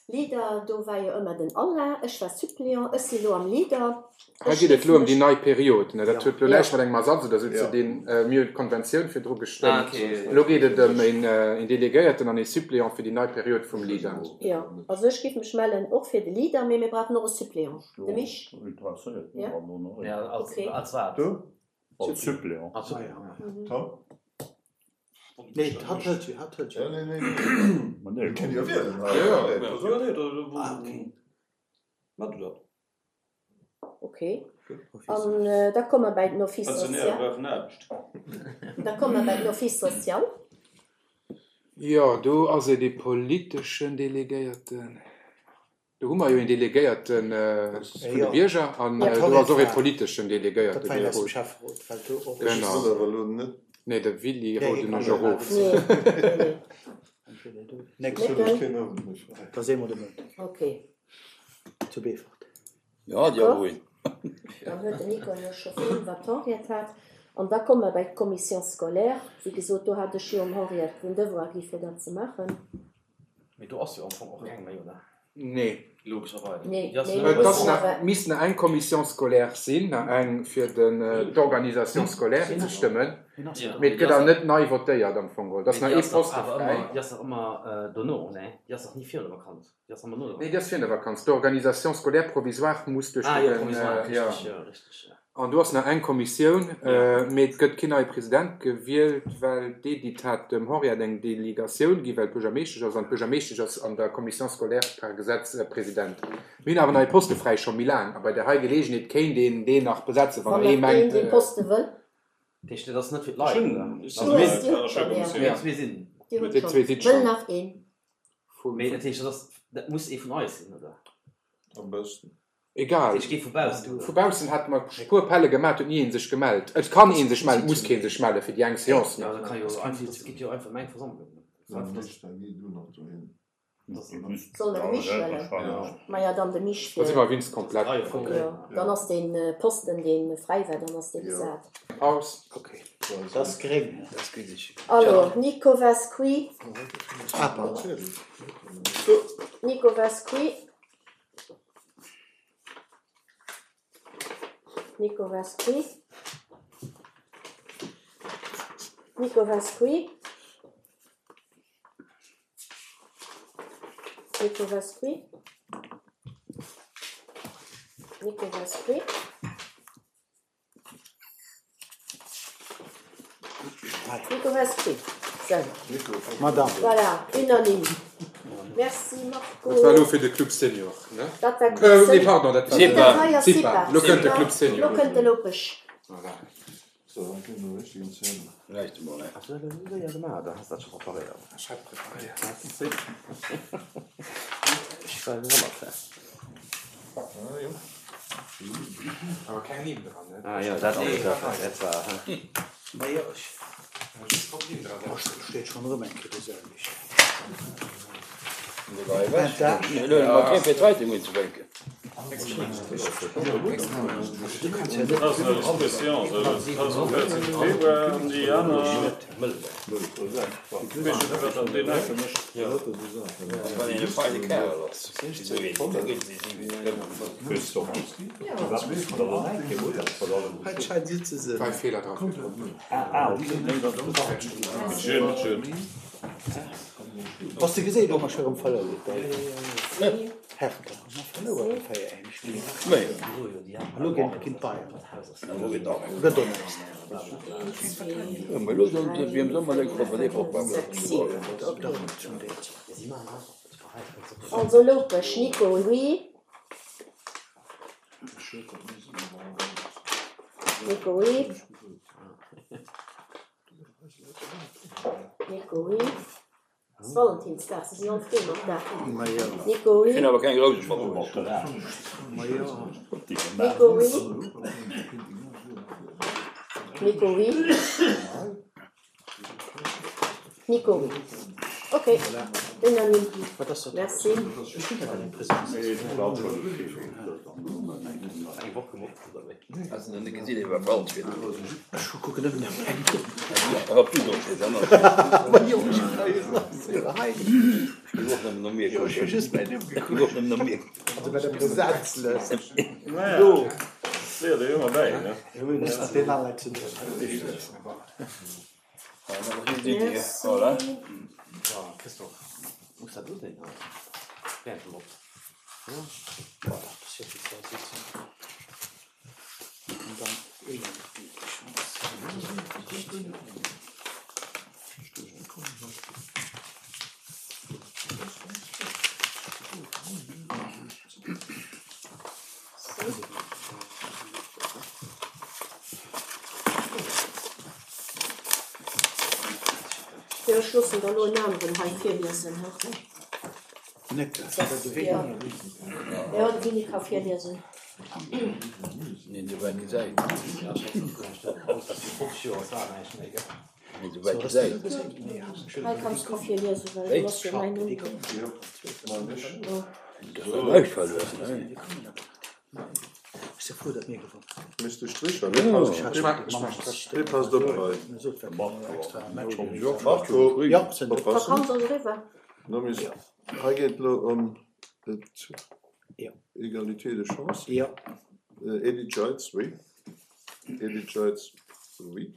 Leader, do war jo ëmmer den Alain, ech war Suppléant, ech si lo am Leader. Hei geet et elo ëm déi nei Period, ne? Dat huet elo näischt mat engem Ersatz oder esou ze dinn. Mir hunn d'Konventioun virdru gestëmmt. Elo geet et ëm een Delegéierten an ee Suppléant fir déi nei Period vum Leader. Jo, also ech géif mech mellen och fir de Leader, mee mir brauchen och e Suppléant. De Mich? Jo? Ok. Als Suppléant. Nee, hatt hëlt jo, hatt hëlt jo. Nee, nee, nee. Mir kënnen jo wielen. Jo, nee, da mat du dat. Ok. An da komme mer bäi den Office Pensionäre social. brauchen Aarbecht. Da komme mer bäi den Office social. Jo, do ass et ee politeschen Delegéierten. Do hu mer jo een Delegéierte vun de Bierger an do ass och ee politeschen Delegéierte gefrot. Genau. Nee, de Willy roden ech erof. Dann huet den Nico jo scho vill iwwer d'Henriette hat. An da komme mer bei d'Commission scolaire. Wéi gesot, do hat ech jo dem Henriette den Devoir gi fir dat ze maachen. Mee do ass jo am Fong och keng méi, oder? Nee. Logescherweis. Nee, Déi ass nee, elo Et ass och. nach, misst nach eng Commission scolaire sinn, nach eng fir den d'Organisation scolaire ze stëmmen, mee et gëtt awer net nei votéiert am Fong geholl. Et ass Mee nach déi ee ass dach Poste awer fräi. ëmmer, déi ass dach ëmmer dono, nee? Déi ass dach ni virun der Vakanz. Déi ass ëmmer no der Nee, Vakanz. déi ass virun der Vakanz. D'Organisation scolaire provisoire muss duerch Ah jo, den, provisoire, jo. richteg, jo, richteg, jo. An do ass nach eng Kommissioun, mee et gëtt keen neie President gewielt, well d'Edith hat dem Henriette eng Delegatioun ginn, well d'Buergermeeschtesch ass, an d'Buergermeeschtesch ass an der Commission scolaire per Gesetz President. Mir hunn awer nach ee Poste fräi, scho méi laang, a bei där hei Geleegenheet kéint een deen nach besetzen, wann Wann ee nach een mengt. dee Poste wëll. Dat heescht, dat ass net fir d'Leit, oder? Ech Also mir Dir hutt schonn, ja. mir zwee sinn. Dir hutt Dir schonn. zwee sidd Wëll schonn. nach een? Mee dat heescht, dat ass, dat muss ee vun eis sinn, oder? Am beschten. Egal. Ech gi vu baussen. Vu baussen hat mer e puer Appelle gemaat, huet ni een sech gemellt. Et kann een sech mellen, et muss keen sech mellen fir déi eng Seance Jo, nach. dat kann jo einfach, dat geet jo einfach ëm eng Versammlung. Soll mer de Mich wëllen? Maja, dann de Mich Da si fir. mer wéinst komplett. Jo, dann ass dee Posten, dee fräi war, dann ass dee besat. Paus. Okay. Dat ass gréng. Alors, Nico Vasqui. Ah, pardon. Nico Vasqui. Nico Vasqui. Nico Vasqui. Nico Vasqui. Nico Vasqui. Nico Vasqui. Sou. Madame. Voilà, unanime. Merci Marco. Dat war elo fir de Club Senior, ne? Dat war Club Senior. Nee, pardon, dat war Nee, dat hei ass Cipa. Cipa. Elo kënnt de Club Senior. Elo kënnt de Lopesch. Voilà. So, dann kënne mer richtegen Zähne. Vielleicht emol, ne? Hast du dat elo séier gemaach oder has dat scho preparéiert? Ech hat preparéiert. Ech war gewonnert, hä? Ah, jo. Awer keng Nimm dran, ne? Ah jo, dat ass et, dat war, hä? Ma jo, ech. Just drop Nimm dran setzen. Steet schonn erëm eng Kéier déi selwecht. Elo hu mer keng fir d'Zeitung unzefänken. Wann een e feine Kerl ass, esou een, da gëtt se Dräi Feeler dra. Bass de geséit och mech erëm verlouert Hertha ma verlouert e 4 eng Spill elo géint ginn d'Bayern gëtt och näischt. Also Lopesch Nico, oui. Nico, oui. Nico, oui. Ass Valentinsdag, se sinn all frou mat der. Nico, oui. Ech hunn awer keng Rouse matbruecht. Nico, oui. Nico, oui. Nico, oui. Ok, unanime. Merci. Has de nach net gesinn, iwwer Wald fir Ech kucken nëmmen op eng. Op du do stees an Ma jo, ech hunn hei hei. Ech géif och nëmmen no mir Jo, ech hu kucken. just mäin Numm Ech géif gekuckt. och nëmmen no mir Also bei der Presenzlëscht. Naja, Do. léiert ee jo ëmmer bäi, ne? Muss mat deenen alle ze doen. Merci. Voilà. Christophe, muss dat do sinn? Während dem Op. Ja, dat ass jo fir d'zwei Sitzungen. Jo, ech loossen der elo en aneren hei virliesen, he? Jo, de Winnie ka virliesen. Neen, sou wäit gesäit. Neen, sou wäit gesäit. Hei kanns du virliesen, well do ass jo mäin Numm dran. Dat war näischt verluer, ne? Misst de Stricher, dee passt, dee passt op hei. Marco, oppassen. Vakanz ass eriwwer. Hei geet elo ëm d'Égalité de chances. Edith Jeitz, oui. Edith Jeitz, oui.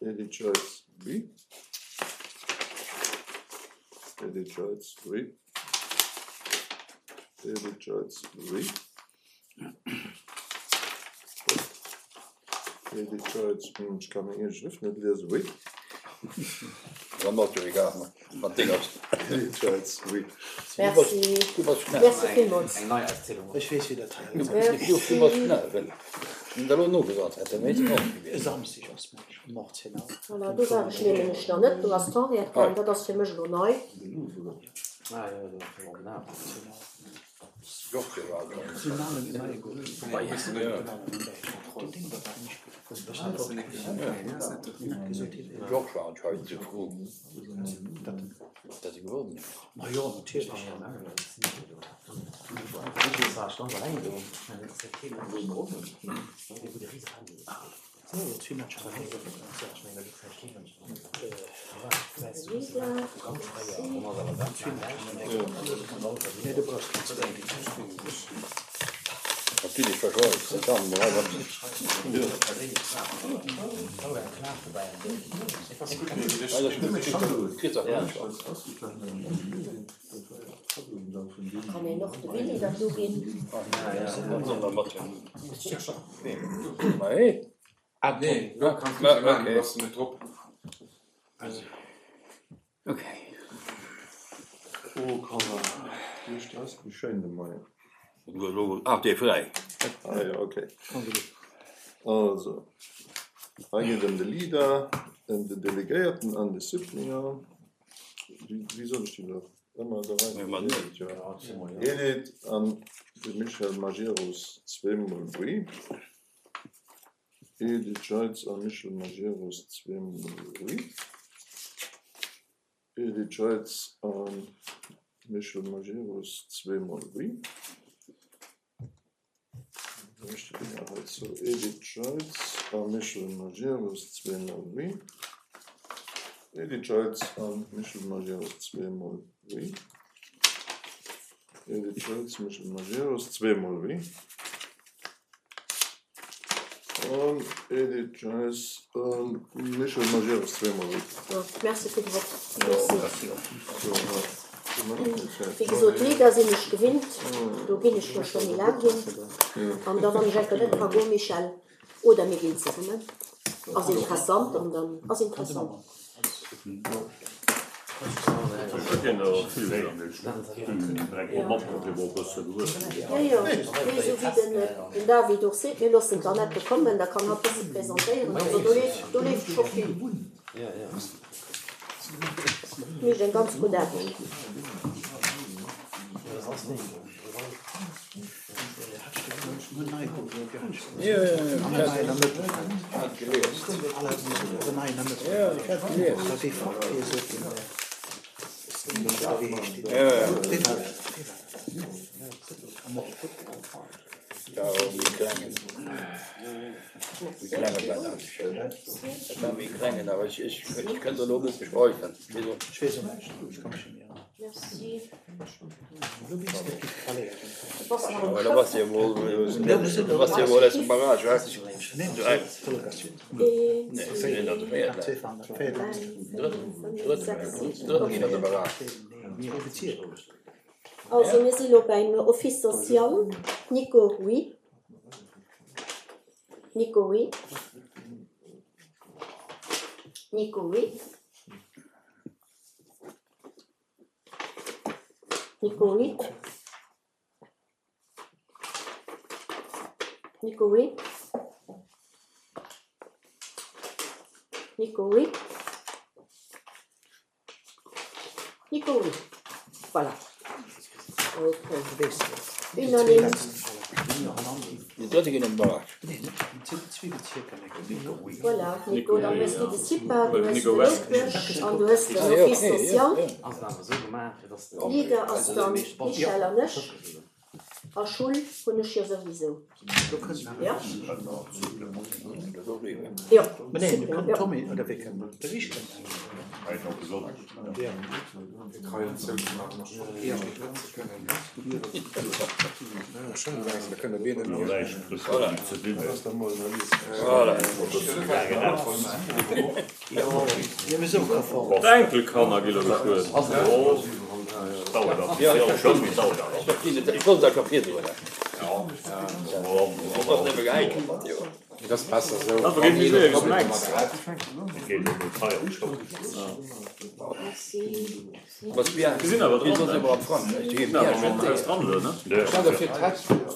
Edith Jeitz, oui. Edith Jeitz, oui. Edith Jeitz, oui. Edith Jeitz, hm, ech ka meng eege Schrëft net liesen, oui. Dann ass jo egal, wat deng ass. Edith Jeitz, oui. Merci. Du bass schnell. Merci villmools. Eng nei Auszielung. Ech weess, wéi dat hei Du bass schnell, well wann der elo nogesat hätt, dann wéilt ech och gewiescht. E Samsdeg ass Match um 18 Auer. Voilà, do war ech nämlech nach net. Do ass d'Henriette gaang. Dat ass fir mech elo nei. Ah jo, do ass jo och den Georges war anscheinend sou frou, datt e gewonnen huet. Kann een och de Willy dat do ginn? Ah nee, lo kanns du se maachen, du bass net drop. Okay. Oh Kanner, duerch ass wéi schéin de Moien. Ach dee fräi. Ah jo, okay. Also, hei geet et ëm de Leader, ëm den Delegéierten an de Suppléant. Wéi soll ech déi elo ëmmer der Rei? Edith an de Michel Majerus zweemol oui. Edith Jeitz a Michel Majerus zweemol oui. Edith Jeitz a Michel Majerus zweemol oui. Edith Jeitz a Michel Majerus zweemol oui. Edith Jeitz a Michel Majerus zweemol oui. Edith Jeitz, Michel Majerus zweemol oui. An Edith Jeitz a Michel Majerus zweemol oui. Merci fir de Vott. Merci. Wéi gesot, Leader sinn ech gewinnt, do ginn ech jo scho méi laang hin. An da wann ech enker net ka goen, Michel, oder mir ginn zesummen, ass interessant an dann ass interessant. Jo, jo, mee esou wéi den David och seet, mir loossen d'Annette kommen, da kann hatt bësse presentéieren. Also do leeft, do leeft scho vill. Mécht eng ganz gutt Aarbecht. Also mir si lo beim Office social. Nico, oui. Nico, oui. Nico, oui. Nico, oui. Nico, oui. Nico, oui. Nico, oui. Voilà. Ok. Unanime. Voilà, Nico, dann hues du de CIPA, du hues de Loutbësch an du hues den Office social. Leader ass dann d'Michèle an ech. A Schull hunn ech jo souwisou. Jo? Jo, super, jo. D'Enkelkanner gi lo beschwuer. Et ass besser esou.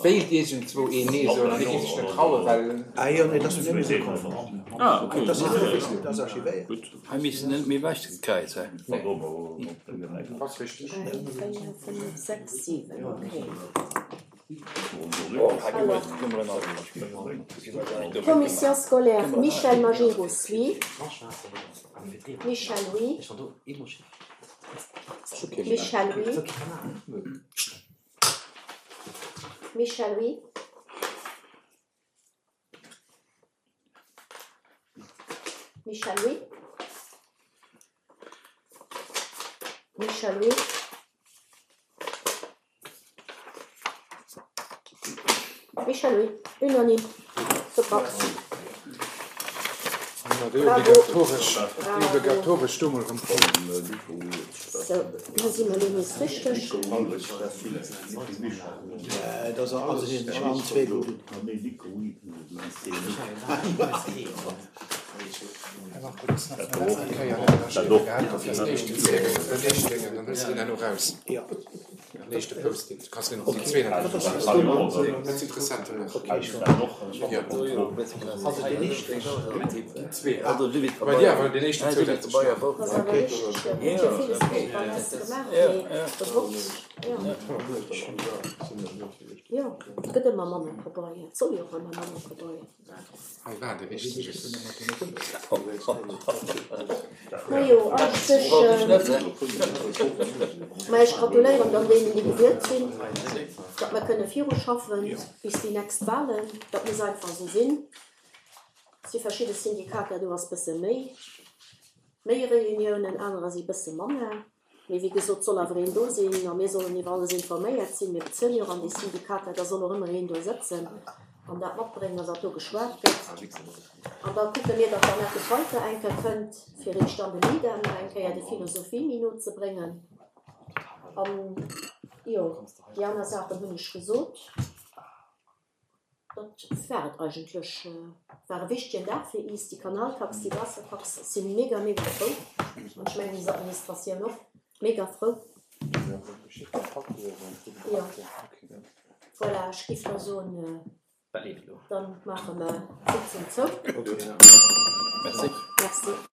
Wéilt iergendzwou een Nee soen an dee géif sech net trauen, well. Hei misst en net méi wech gekräizt sinn. Ass richteg. 4, 5, 6, 7, okay. Commission scolaire, Michel Majerus, oui. Michel, oui. Michel, oui. Michel Oui. Michel Oui. Michel Oui. Michel Oui. Unanime. Super. Déi obligatoresch, déi obligatoresch do mol erëm. Sou, lo si mer elo nees richteg. Ass awer richteg, jo. Huet jo villes gutt bei eis gemaach, mee bewosst, jo. Jo, et gëtt ëmmer manner Pabeier. Et soll jo och ëmmer manner Pabeier. Hei war de richtege. Majo, eigentlech, ma ech gratuléieren dann deenen, déi gewielt sinn, datt mer kënne viruschaffen bis déi nächst Wahlen. Dat muss einfach esou sinn. Et si verschidde Syndikater, do ass bësse méi, méi Reuniounen, anerer si bësse manner. Mee wéi gesot, soll awer een do sinn a mir sollen iwwer alles informéiert sinn. Mir bezuelen jo och an déi Syndikater, da soll och ëmmer een do sëtzen an dat matbréngen, wat do geschwat gëtt. An da kucke mir, datt d'Annette Scheuter eng Kéier kënnt, fir eech dann de Midem nach eng Kéier déi Philosophie-Minut ze bréngen. An, jo, déi aner Saachen hunn ech gesot. Dat war et eigentlech. War e wichtegen Dag fir iis, déi Kanaltax, déi Waassertax. Ech si mega, mega frou. An ech mengen, is Administratioun och mega frou. Jo, voilà, ech giff da soen, dann maache mer d'Sitzung zou. Merci.